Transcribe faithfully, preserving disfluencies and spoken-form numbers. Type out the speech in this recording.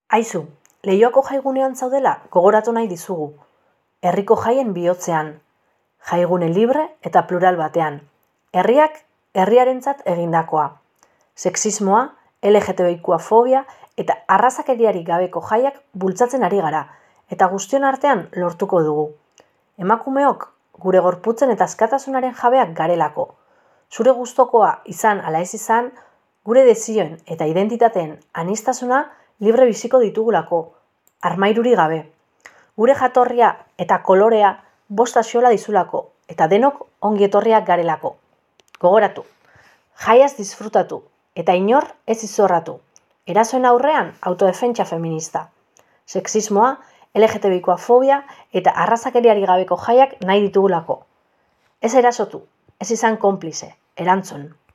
Aizu, Leioako jaigunean zaudela gogoratu nahi dizugu. Herriko jaien bihotzean. Jaigune libre eta plural batean. Herriak herriarentzat egindakoa. Sexismoa, L G T B I Q fobia eta arrazakeriarik gabeko jaiak bultzatzen ari gara, eta guztion artean lortuko dugu. Emakumeok gure gorputzen eta askatasunaren jabeak garelako. Zure gustokoa izan ala ez izan, gure desioen eta identitateen aniztasuna libre biziko ditugulako, armairuri gabe. Gure jatorria eta kolorea bost axola dizulako, eta denok ongi etorriak garelako. Gogoratu, jaiaz disfrutatu, eta inor ez izorratu. Erasoen aurrean autodefentsa feminista. Sexismoa, L G T B I Q fobia eta arrazakeriari gabeko jaiak nahi ditugulako. Ez erasotu, ez izan konplize, erantzun.